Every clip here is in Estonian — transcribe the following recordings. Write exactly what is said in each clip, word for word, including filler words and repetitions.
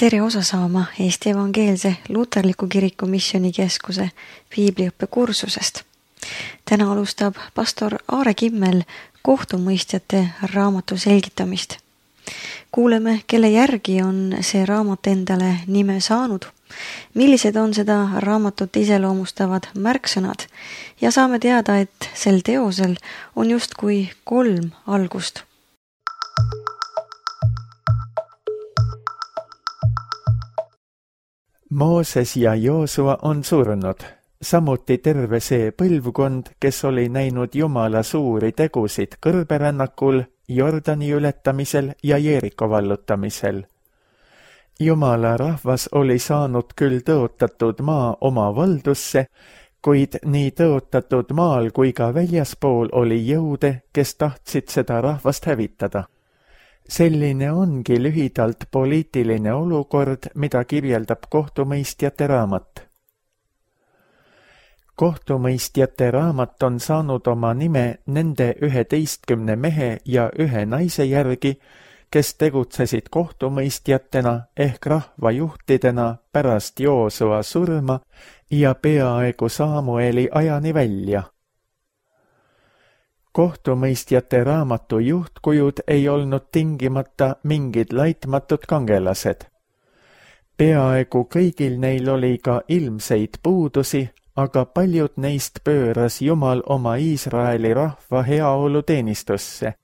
Tere osa saama Eesti Evangeelse Luterliku Kiriku Missioonikeskuse piibliõppe kursusest. Täna alustab pastor Aare Kimmel kohtumõistjate raamatu selgitamist. Kuuleme, kelle järgi on see raamat endale nime saanud, millised on seda raamatut iseloomustavad märksõnad ja saame teada, et sel teosel on justkui kolm algust. Mooses ja Joosua on surnud, samuti terve see põlvkond, kes oli näinud Jumala suuri tegusid kõrberännakul, Jordani ületamisel ja Jeeriko vallutamisel. Jumala rahvas oli saanud küll tõotatud maa oma valdusse, kuid nii tõotatud maal kui ka väljaspool oli jõude, kes tahtsid seda rahvast hävitada. Selline ongi lühidalt poliitiline olukord, mida kirjeldab kohtumõistjate raamat. Kohtumõistjate raamat on saanud oma nime nende üheteistkümne mehe ja ühe naise järgi, kes tegutsesid kohtumõistjatena ehk rahvajuhtidena pärast Joosua surma ja peaaegu Saamueli ajani välja. Kohtumõistjate raamatu juhtkujud ei olnud tingimata mingid laitmatud kangelased. Peaaegu kõigil neil oli ka ilmseid puudusi, aga paljud neist pööras Jumal oma Iisraeli rahva heaolu teenistusse.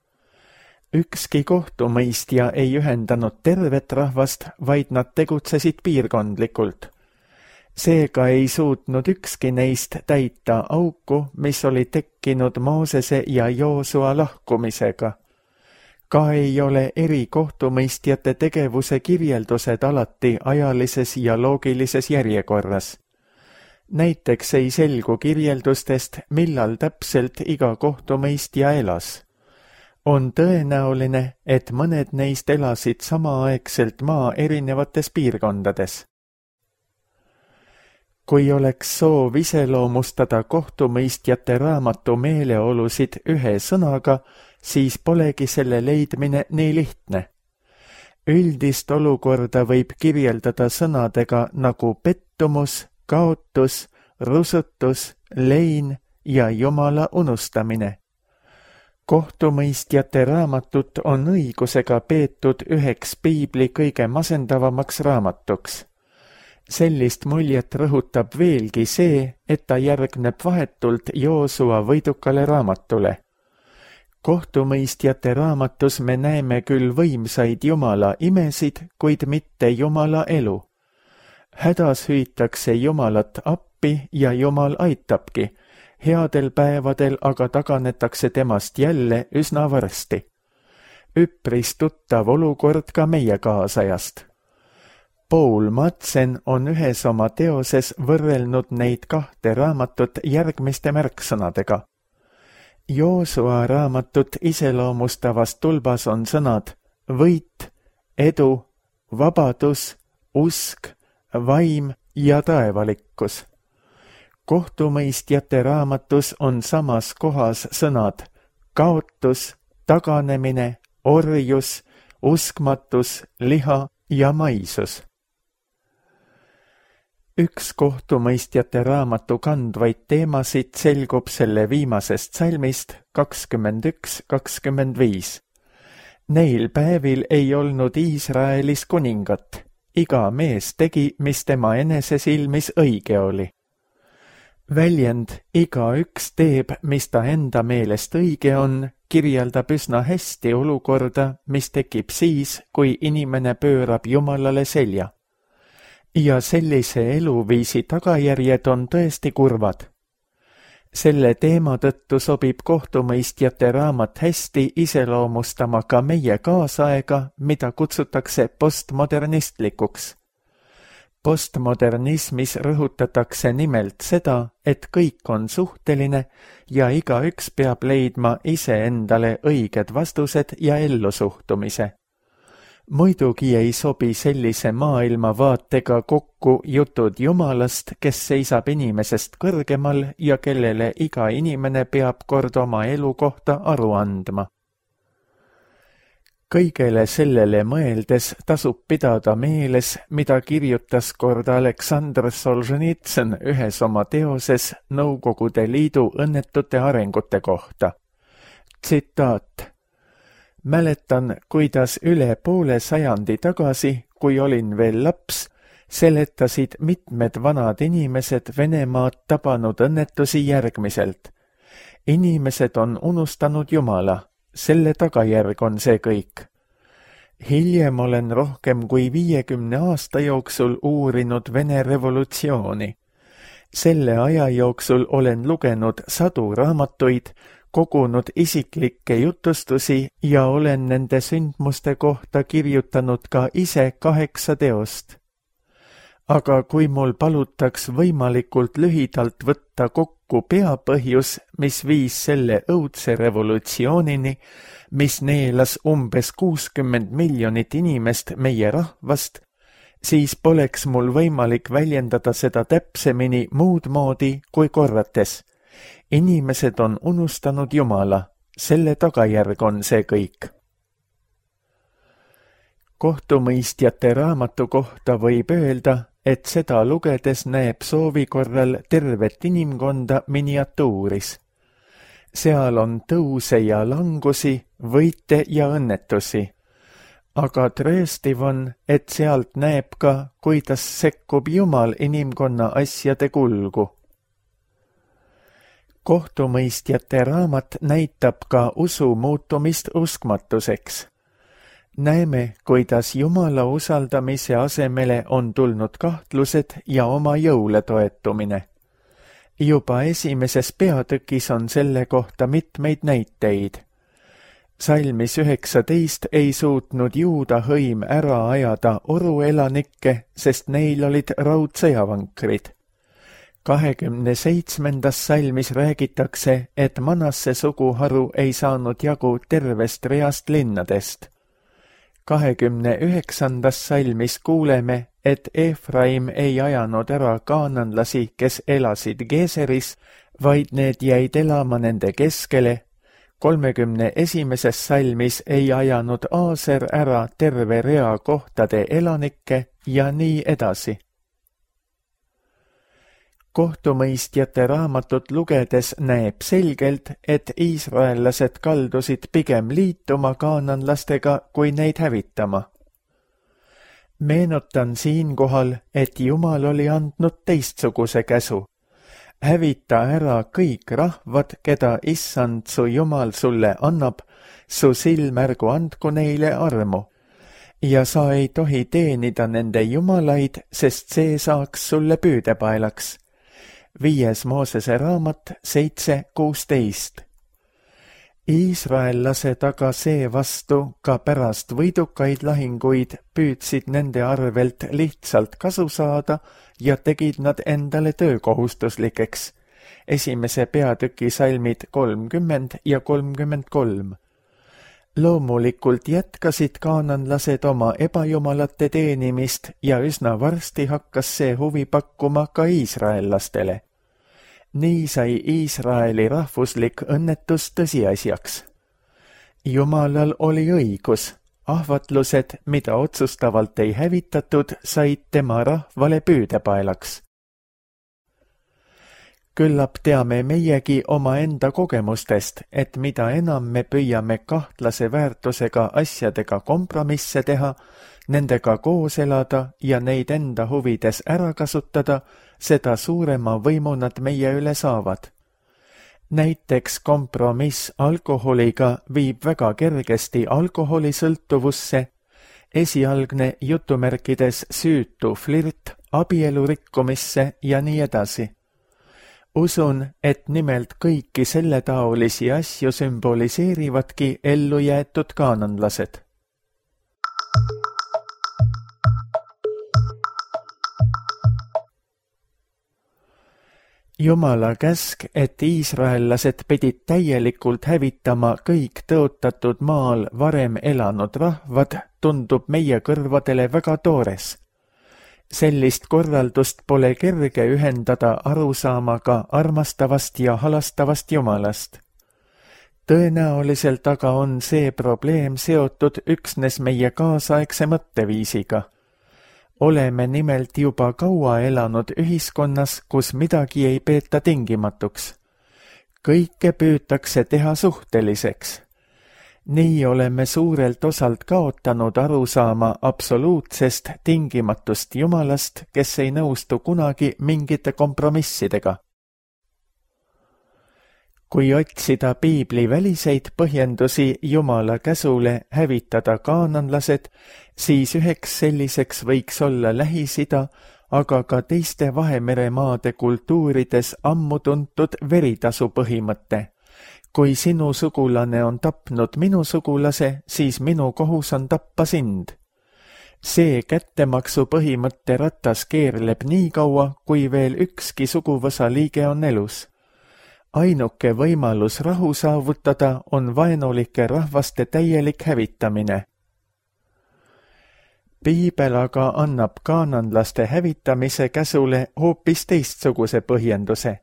Ükski kohtumõistja ei ühendanud tervet rahvast, vaid nad tegutsesid piirkondlikult. Seega ei suutnud ükski neist täita auku, mis oli tekkinud Moosese ja Joosua lahkumisega. Ka ei ole eri kohtumõistjate tegevuse kirjeldused alati ajalises ja loogilises järjekorras. Näiteks ei selgu kirjeldustest, millal täpselt iga kohtumõistja elas. On tõenäoline, et mõned neist elasid samaaegselt maa erinevates piirkondades. Kui oleks soov iseloomustada kohtumõistjate raamatu meeleolusid ühe sõnaga, siis polegi selle leidmine nii lihtne. Üldist olukorda võib kirjeldada sõnadega nagu pettumus, kaotus, rusutus, lein ja Jumala unustamine. Kohtumõistjate raamatut on õigusega peetud üheks piibli kõige masendavamaks raamatuks. Sellist muljet rõhutab veelgi see, et ta järgneb vahetult Joosua võidukale raamatule. Kohtumõistjate raamatus me näeme küll võimsaid Jumala imesid, kuid mitte Jumala elu. Hädas hüütakse Jumalat appi ja Jumal aitabki, headel päevadel aga taganetakse temast jälle üsna varsti. Üpris tuttav olukord ka meie kaasajast. Paul Madsen on ühes oma teoses võrrelnud neid kahte raamatut järgmiste märksõnadega. Joosua raamatut iseloomustavas tulbas on sõnad võit, edu, vabadus, usk, vaim ja taevalikkus. Kohtumõistjate raamatus on samas kohas sõnad kaotus, taganemine, orjus, uskmatus, liha ja maisus. Üks kohtumõistjate raamatu kandvaid teemasid selgub selle viimasest salmist kakskümmend üks kakskümmend viis. Neil päevil ei olnud Iisraelis kuningat. Iga mees tegi, mis tema enese silmis õige oli. Väljend igaüks teeb, mis ta enda meelest õige on, kirjeldab üsna hästi olukorda, mis tekib siis, kui inimene pöörab Jumalale selja. Ja sellise eluviisi tagajärjed on tõesti kurvad. Selle teema tõttu sobib kohtumõistjate raamat hästi iseloomustama ka meie kaasaega, mida kutsutakse postmodernistlikuks. Postmodernismis rõhutatakse nimelt seda, et kõik on suhteline ja igaüks peab leidma iseendale õiged vastused ja ellusuhtumise. Muidugi ei sobi sellise maailmavaatega kokku jutud Jumalast, kes seisab inimesest kõrgemal ja kellele iga inimene peab kord oma elu kohta aru andma. Kõigele sellele mõeldes tasub pidada meeles, mida kirjutas kord Aleksandr Solženitsõn ühes oma teoses Nõukogude Liidu õnnetute arengute kohta. Tsitaat. Mäletan, kuidas üle poole sajandi tagasi, kui olin veel laps, seletasid mitmed vanad inimesed Venemaad tabanud õnnetusi järgmiselt. Inimesed on unustanud Jumala. Selle tagajärg on see kõik. Hiljem olen rohkem kui viiekümne aasta jooksul uurinud Vene revolutsiooni. Selle aja jooksul olen lugenud sadu raamatuid, kogunud isiklikke jutustusi ja olen nende sündmuste kohta kirjutanud ka ise kaheksa teost. Aga kui mul palutaks võimalikult lühidalt võtta kokku peapõhjus, mis viis selle õudse revolutsioonini, mis neelas umbes kuuskümmend miljonit inimest meie rahvast, siis poleks mul võimalik väljendada seda täpsemini muud moodi kui korrates. Inimesed on unustanud Jumala, selle tagajärg on see kõik. Kohtumõistjate raamatu kohta võib öelda, et seda lugedes näeb soovi korral tervet inimkonda miniatuuris. Seal on tõuse ja langusi, võite ja õnnetusi. Aga trööstiv on, et sealt näeb ka, kuidas sekkub Jumal inimkonna asjade kulgu. Kohtumõistjate raamat näitab ka usu muutumist uskmatuseks. Näeme, kuidas Jumala usaldamise asemele on tulnud kahtlused ja oma jõule toetumine. Juba esimeses peatükis on selle kohta mitmeid näiteid. Salmis üheksateist ei suutnud juuda hõim ära ajada oruelanikke, sest neil olid raudsõjavankrid. kahekümne seitsmendas salmis räägitakse, et Manasse suguharu ei saanud jagu tervest reast linnadest. kahekümne üheksandas salmis kuuleme, et Efraim ei ajanud ära kaananlasi, kes elasid Geeseris, vaid need jäid elama nende keskele. kolmekümne esimeses salmis ei ajanud Aaser ära terve rea kohtade elanikke ja nii edasi. Kohtumõistjate raamatut lugedes näeb selgelt, et iisraellased kaldusid pigem liituma kaananlastega kui neid hävitama. Meenutan siinkohal, et Jumal oli andnud teistsuguse käsu. Hävita ära kõik rahvad, keda issand su Jumal sulle annab, su silmärgu andku neile armu. Ja sa ei tohi teenida nende jumalaid, sest see saaks sulle püüdepaelaks. Viies Moosese raamat seitse kuusteist. Iisraellased aga seevastu ka pärast võidukaid lahinguid püüdsid nende arvelt lihtsalt kasu saada ja tegid nad endale töökohustuslikeks. Esimese peatüki salmid kolmkümmend ja kolmkümmend kolm. Loomulikult jätkasid kaananlased oma ebajumalate teenimist ja üsna varsti hakkas see huvi pakkuma ka iisraellastele. Nii sai Iisraeli rahvuslik õnnetus tõsiasjaks. Jumalal oli õigus, ahvatlused, mida otsustavalt ei hävitatud, said tema rahvale püüdepaelaks. Küllap teame meiegi omaenda kogemustest, et mida enam me püüame kahtlase väärtusega asjadega kompromisse teha, nendega koos elada ja neid enda huvides ära kasutada, seda suurema võimu nad meie üle saavad. Näiteks kompromiss alkoholiga viib väga kergesti alkoholisõltuvusse, esialgne jutumärkides süütu flirt, abielu rikkumisse ja nii edasi. Usun, et nimelt kõiki selletaolisi asju sümboliseerivadki ellu jäetud kaananlased. Jumala käsk, et iisraellased pidid täielikult hävitama kõik tõotatud maal varem elanud rahvad, tundub meie kõrvadele väga toores. Sellist korraldust pole kerge ühendada arusaamaga armastavast ja halastavast Jumalast. Tõenäoliselt aga on see probleem seotud üksnes meie kaasaegse mõtteviisiga. Oleme nimelt juba kaua elanud ühiskonnas, kus midagi ei peeta tingimatuks. Kõike püütakse teha suhteliseks. Nii oleme suurelt osalt kaotanud arusaama absoluutsest tingimatust Jumalast, kes ei nõustu kunagi mingite kompromissidega. Kui otsida piibli väliseid põhjendusi Jumala käsule hävitada kaananlased, siis üheks selliseks võiks olla Lähis-Ida, aga ka teiste Vahemeremaade kultuurides ammu tuntud veritasu põhimõte. Kui sinu sugulane on tapnud minu sugulase, siis minu kohus on tappa sind. See kättemaksu põhimõtte ratas keerleb nii kaua, kui veel ükski suguvõsa liige on elus. Ainuke võimalus rahu saavutada on vaenulike rahvaste täielik hävitamine. Piibel aga annab kaananlaste hävitamise käsule hoopis teistsuguse põhjenduse.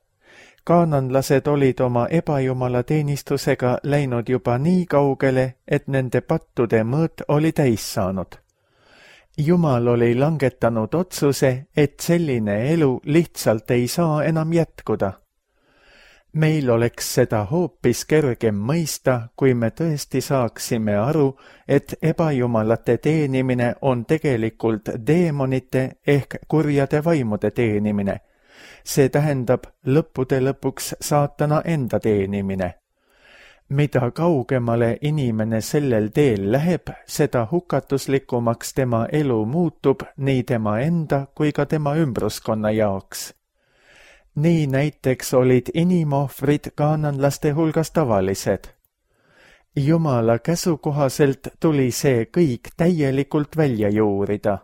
Kaananlased olid oma ebajumala teenistusega läinud juba nii kaugele, et nende pattude mõõt oli täis saanud. Jumal oli langetanud otsuse, et selline elu lihtsalt ei saa enam jätkuda. Meil oleks seda hoopis kergem mõista, kui me tõesti saaksime aru, et ebajumalate teenimine on tegelikult deemonite ehk kurjade vaimude teenimine. See tähendab lõppude lõpuks saatana enda teenimine. Mida kaugemale inimene sellel teel läheb, seda hukatuslikumaks tema elu muutub nii tema enda kui ka tema ümbruskonna jaoks. Nii näiteks olid inimohvrid kaananlaste hulgas tavalised. Jumala käsu kohaselt tuli see kõik täielikult välja juurida.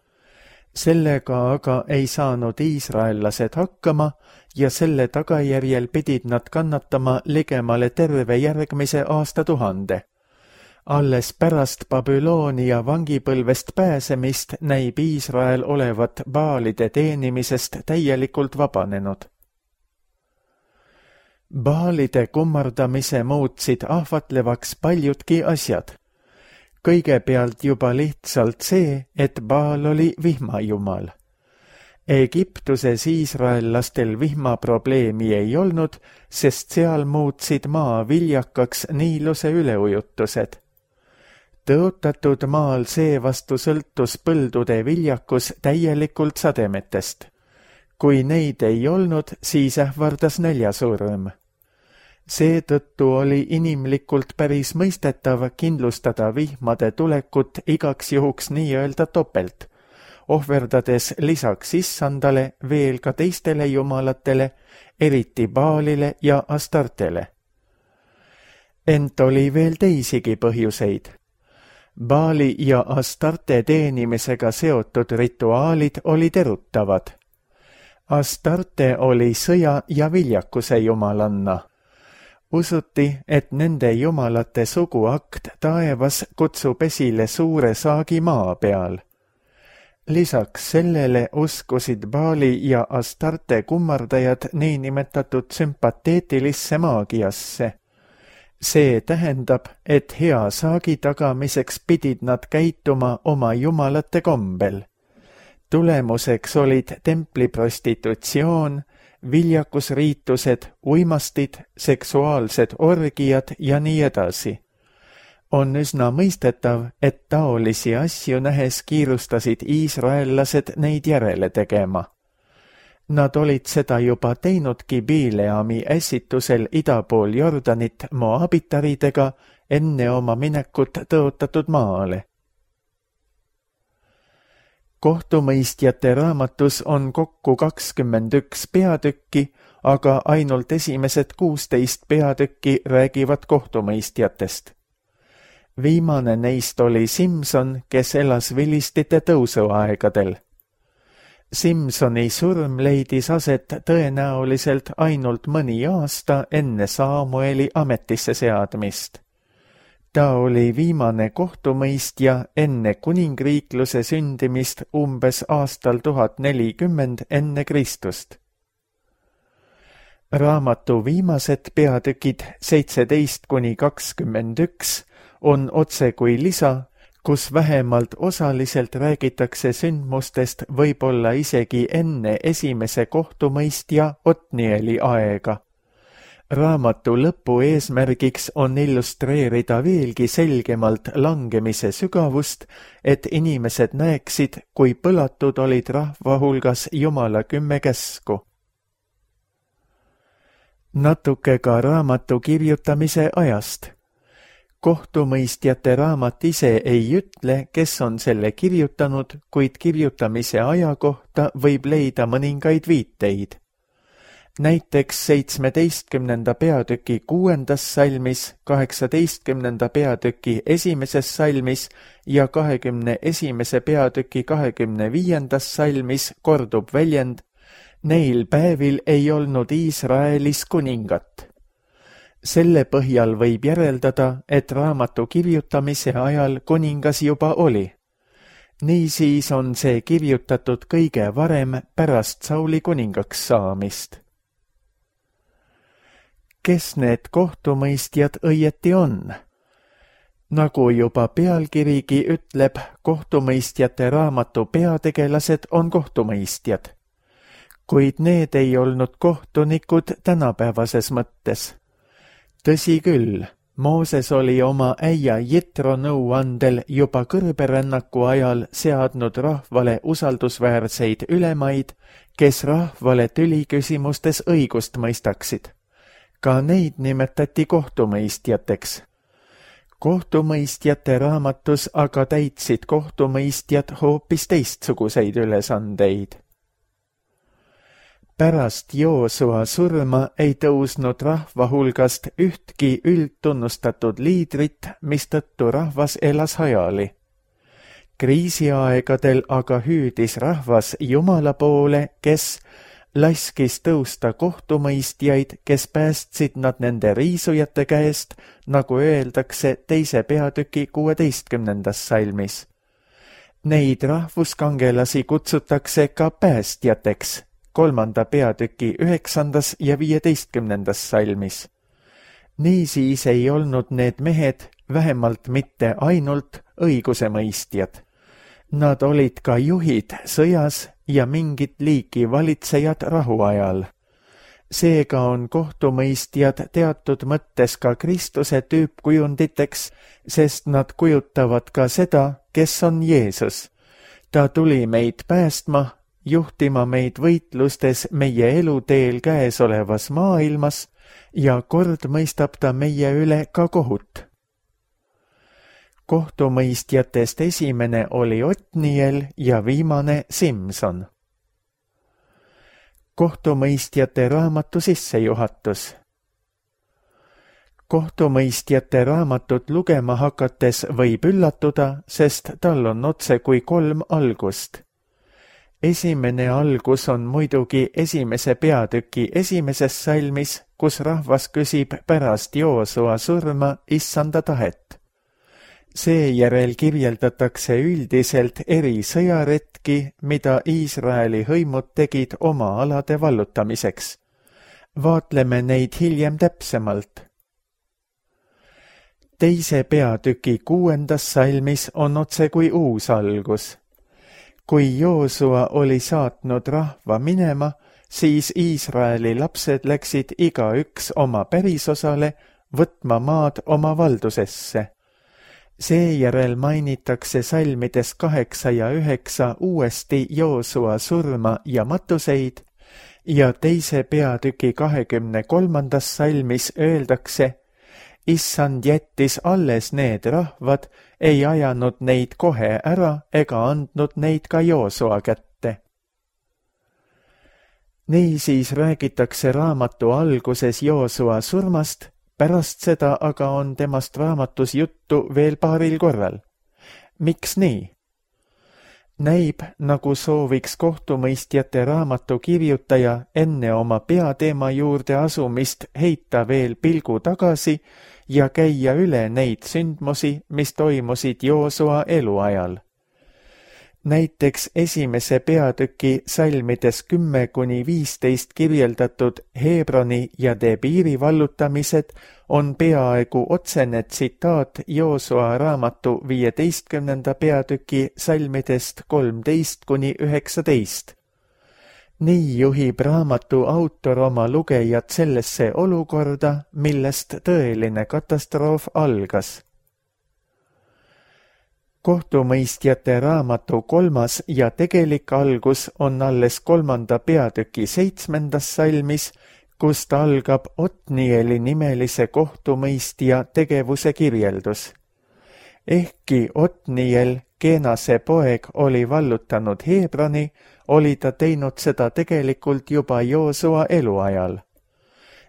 Sellega aga ei saanud iisraellased hakkama ja selle tagajärjel pidid nad kannatama ligemale terve järgmise aastatuhande. Alles pärast Babyloonia vangipõlvest pääsemist näib Iisrael olevat baalide teenimisest täielikult vabanenud. Baalide kummardamise muutsid ahvatlevaks paljudki asjad. Kõigepealt juba lihtsalt see, et Baal oli vihmajumal. Egiptuses iisraellastel vihmaprobleemi ei olnud, sest seal muutsid maa viljakaks Niiluse üleujutused. Tõotatud maal seevastu sõltus põldude viljakus täielikult sademetest. Kui neid ei olnud, siis ähvardas näljasurm. Seetõttu oli inimlikult päris mõistetav kindlustada vihmade tulekut igaks juhuks nii-öelda topelt, ohverdades lisaks issandale veel ka teistele jumalatele, eriti Baalile ja Astartele. Ent oli veel teisigi põhjuseid. Baali ja Astarte teenimisega seotud rituaalid olid erutavad. Astarte oli sõja ja viljakuse jumalanna. Usuti, et nende jumalate suguakt taevas kutsub esile suure saagi maa peal. Lisaks sellele uskusid Baali ja Astarte kummardajad niinimetatud sümpateetilisse maagiasse. See tähendab, et hea saagi tagamiseks pidid nad käituma oma jumalate kombel. Tulemuseks olid templiprostitutsioon, viljakusriitused, uimastid, seksuaalsed orgiad ja nii edasi. On üsna mõistetav, et taolisi asju nähes kiirustasid iisraellased neid järele tegema. Nad olid seda juba teinudki Bileami ässitusel idapool Jordanit moabitaridega enne oma minekut tõotatud maale. Kohtumõistjate raamatus on kokku kakskümmend üks peatükki, aga ainult esimesed kuusteist peatükki räägivad kohtumõistjatest. Viimane neist oli Simson, kes elas vilistite tõusuaegadel. Simsoni surm leidis aset tõenäoliselt ainult mõni aasta enne Saamueli ametisse seadmist. Ta oli viimane kohtumõistja enne kuningriikluse sündimist umbes aastal tuhat nelikümmend enne Kristust. Raamatu viimased peatükid seitseteist kuni kakskümmend üks on otse kui lisa, kus vähemalt osaliselt räägitakse sündmustest võib-olla isegi enne esimese kohtumõistja Otnieli aega. Raamatu lõpu eesmärgiks on illustreerida veelgi selgemalt langemise sügavust, et inimesed näeksid, kui põlatud olid rahva hulgas Jumala kümme käsku. Natuke ka raamatu kirjutamise ajast. Kohtumõistjate raamat ise ei ütle, kes on selle kirjutanud, kuid kirjutamise aja kohta võib leida mõningaid viiteid. Näiteks seitsmeteistkümnenda peatüki kuuendas salmis, kaheksateistkümnenda peatüki esimeses salmis ja kahekümne esimese peatüki kahekümne viiendas salmis kordub väljend: neil päevil ei olnud Iisraelis kuningat. Selle põhjal võib järeldada, et raamatu kirjutamise ajal kuningas juba oli. Niisiis on see kirjutatud kõige varem pärast Sauli kuningaks saamist. Kes need kohtumõistjad õieti on? Nagu juba pealkirigi ütleb, kohtumõistjate raamatu peategelased on kohtumõistjad. Kuid need ei olnud kohtunikud tänapäevases mõttes. Tõsi küll, Mooses oli oma äia Jitro nõuandel juba kõrberännaku ajal seadnud rahvale usaldusväärseid ülemaid, kes rahvale tüliküsimustes õigust mõistaksid. Ka neid nimetati kohtumõistjateks. Kohtumõistjate raamatus aga täitsid kohtumõistjad hoopis teistsuguseid ülesandeid. Pärast Joosua surma ei tõusnud rahva hulgast ühtki üldtunnustatud liidrit, mistõttu rahvas elas hajali. Kriisiaegadel aga hüüdis rahvas Jumala poole, kes laskis tõusta kohtumõistjaid, kes päästsid nad nende riisujate käest, nagu öeldakse teise peatüki kuueteistkümnendas salmis. Neid rahvuskangelasi kutsutakse ka päästjateks, kolmanda peatüki üheksandas ja viieteistkümnendas salmis. Niisiis ei olnud need mehed vähemalt mitte ainult õigusemõistjad. Nad olid ka juhid sõjas ja mingit liiki valitsejad rahuajal. Seega on kohtumõistjad teatud mõttes ka Kristuse tüüpkujunditeks, sest nad kujutavad ka seda, kes on Jeesus. Ta tuli meid päästma, juhtima meid võitlustes meie eluteel käesolevas maailmas ja kord mõistab ta meie üle ka kohut. Kohtumõistjatest esimene oli Otniel ja viimane Simson. Kohtumõistjate raamatu sissejuhatus. Kohtumõistjate raamatut lugema hakates võib üllatuda, sest tal on otse kui kolm algust. Esimene algus on muidugi esimese peatüki esimeses salmis, kus rahvas küsib pärast Joosua surma issanda tahet. Seejärel kirjeldatakse üldiselt eri sõjaretki, mida Iisraeli hõimud tegid oma alade vallutamiseks. Vaatleme neid hiljem täpsemalt. Teise peatüki kuuendas salmis on otse kui uus algus. Kui Joosua oli saatnud rahva minema, siis Iisraeli lapsed läksid igaüks oma pärisosale võtma maad oma valdusesse. Seejärel mainitakse salmides kaheksa ja üheksa uuesti Joosua surma ja matuseid ja teise peatüki kahekümne kolmandas salmis öeldakse: issand jättis alles need rahvad, ei ajanud neid kohe ära ega andnud neid ka Joosua kätte. Niisiis räägitakse raamatu alguses Joosua surmast, pärast seda aga on temast raamatus juttu veel paaril korral. Miks nii? Näib, nagu sooviks kohtumõistjate raamatu kirjutaja enne oma peateema juurde asumist heita veel pilgu tagasi ja käia üle neid sündmusi, mis toimusid Joosua eluajal. Näiteks esimese peatüki salmides kümme kuni viisteist kirjeldatud Hebroni ja Debiiri vallutamised on peaaegu otsene tsitaat Joosua raamatu viieteistkümnenda peatüki salmidest kolmteist kuni üheksateist. Nii juhib raamatu autor oma lugejad sellesse olukorda, millest tõeline katastroof algas. Kohtumõistjate raamatu kolmas ja tegelik algus on alles kolmanda peatüki seitsmendas salmis, kust algab Otnieli nimelise kohtumõistja tegevuse kirjeldus. Ehkki Otniel, Kenase poeg, oli vallutanud Hebroni, oli ta teinud seda tegelikult juba Joosua eluajal.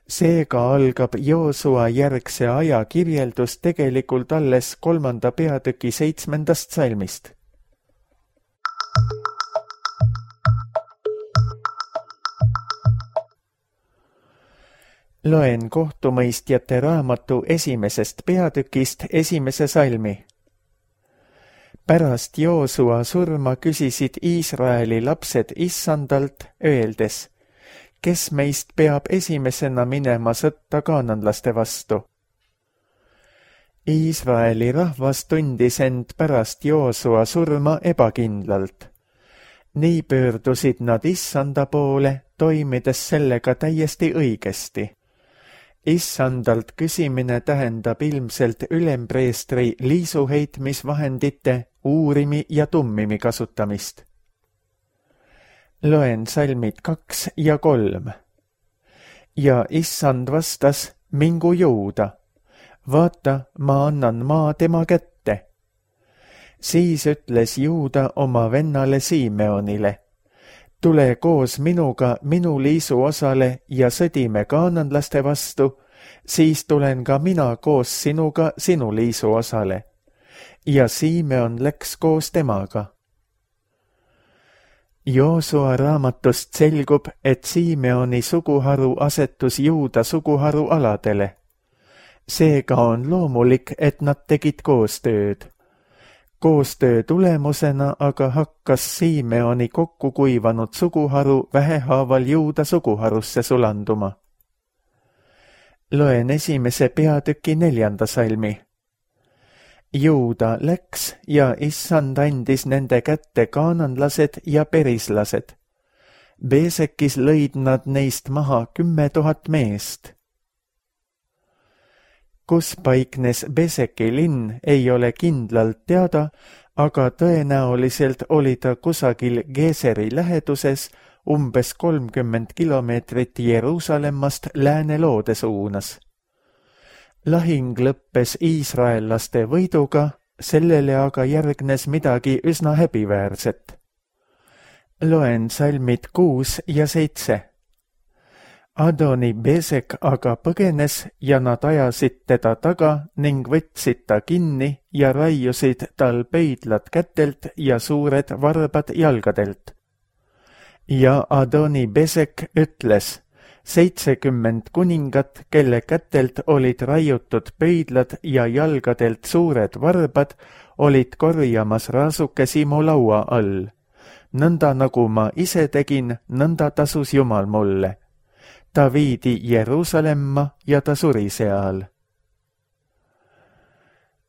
Seega algab Joosua järgse aja kirjeldus tegelikult alles kolmanda peatüki seitsmendast salmist. Loen kohtumõistjate raamatu esimesest peatükist esimese salmi. Pärast Joosua surma küsisid Iisraeli lapsed issandalt, öeldes, kes meist peab esimesena minema sõtta kaananlaste vastu. Iisraeli rahvas tundis end pärast Joosua surma ebakindlalt. Nii pöördusid nad issanda poole, toimides sellega täiesti õigesti. Issandalt küsimine tähendab ilmselt ülempreestri liisuheitmisvahendite, uurimi ja tummimi kasutamist. Loen salmid kaks ja kolm. Ja issand vastas, mingu Juuda. Vaata, ma annan maa tema kätte. Siis ütles Juuda oma vennale Simeonile. Tule koos minuga minu liisu osale ja sõdime kaananlaste vastu, siis tulen ka mina koos sinuga sinu liisu osale. Ja Simeon läks koos temaga. Joosua raamatust selgub, et Simeoni suguharu asetus Juuda suguharu aladele. Seega on loomulik, et nad tegid koostööd. Koostöö tulemusena aga hakkas Simeoni kokku kuivanud suguharu vähehaaval Juuda suguharusse sulanduma. Loen esimese peatüki neljanda salmi. Juuda läks ja issand andis nende kätte kaananlased ja perislased. Beesekis lõid nad neist maha kümme tuhat meest. Kus paiknes Beseki linn, ei ole kindlalt teada, aga tõenäoliselt oli ta kusagil Geeseri läheduses umbes kolmkümmend kilomeetrit Jeruusalemmast lääneloode suunas. Lahing lõppes iisraellaste võiduga, sellele aga järgnes midagi üsna häbiväärset. Loen salmid kuus ja seitse. Adoni Besek aga põgenes ja nad ajasid teda taga ning võtsid ta kinni ja raiusid tal pöidlad kätelt ja suured varbad jalgadelt. Ja Adoni Besek ütles, seitsekümmend kuningat, kelle kätelt olid raiutud pöidlad ja jalgadelt suured varbad, olid korjamas raasukesi mu laua all. Nõnda nagu ma ise tegin, nõnda tasus Jumal mulle. Ta viidi Jeruusalemma ja ta suri seal.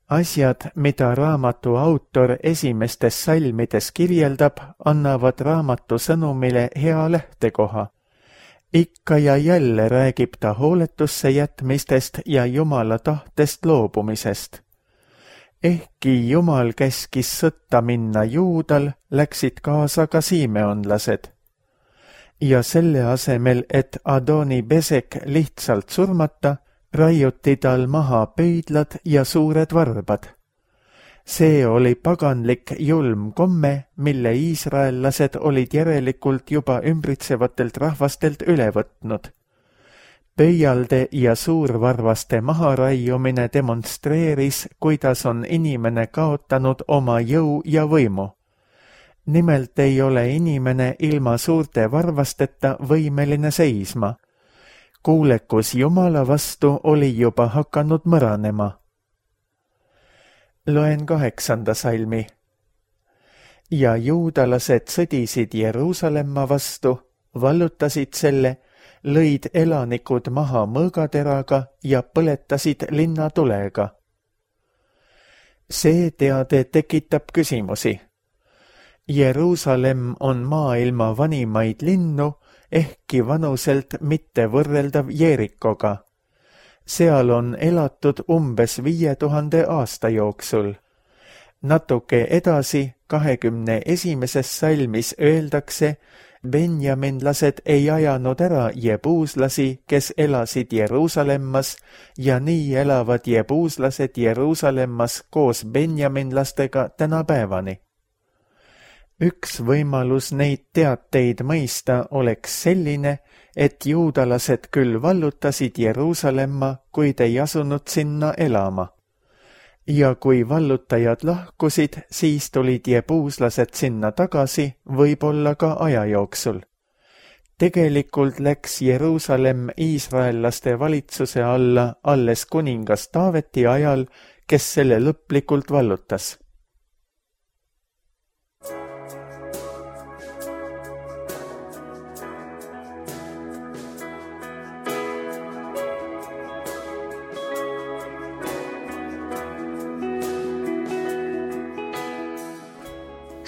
Asjad, mida raamatu autor esimestes salmides kirjeldab, annavad raamatu sõnumile hea lähtekoha. Ikka ja jälle räägib ta hooletusse jätmistest ja Jumala tahtest loobumisest. Ehkki Jumal käskis sõtta minna Juudal, läksid kaasa ka simeonlased. Ja selle asemel, et Adoni Besek lihtsalt surmata, raiuti tal maha pöidlad ja suured varbad. See oli paganlik julm komme, mille iisraellased olid järelikult juba ümbritsevatelt rahvastelt üle võtnud. Pöialde ja suurvarvaste maharaiumine demonstreeris, kuidas on inimene kaotanud oma jõu ja võimu. Nimelt ei ole inimene ilma suurte varvasteta võimeline seisma. Kuulekus Jumala vastu oli juba hakanud mõranema. Loen kaheksanda salmi. ja juudalased sõdisid Jeruusalemma vastu, vallutasid selle, lõid elanikud maha mõõgateraga ja põletasid linna tulega. See teade tekitab küsimusi. Jeruusalemm on maailma vanimaid linnu, ehkki vanuselt mitte võrreldav Jeerikoga. Seal on elatud umbes viie tuhande aasta jooksul. Natuke edasi, kahekümne esimeses salmis öeldakse, benjaminlased ei ajanud ära jebuuslasi, kes elasid Jeruusalemmas, ja nii elavad jebuuslased Jeruusalemmas koos benjaminlastega tänapäevani. Üks võimalus neid teateid mõista oleks selline, et juudalased küll vallutasid Jeruusalemma, kuid ei asunud sinna elama. Ja kui vallutajad lahkusid, siis tulid jebuuslased sinna tagasi, võib-olla ka aja jooksul. Tegelikult läks Jeruusalemm iisraellaste valitsuse alla alles kuningas Taaveti ajal, kes selle lõplikult vallutas.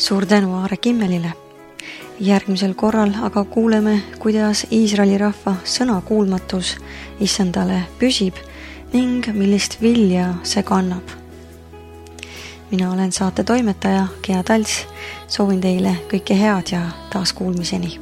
Suur tänu Aare Kimmelile. Järgmisel korral aga kuuleme, kuidas Iisraeli rahva sõnakuulmatus issandale püsib ning millist vilja see kannab. Mina olen saate toimetaja Gea Talts, soovin teile kõike head ja taas kuulmiseni.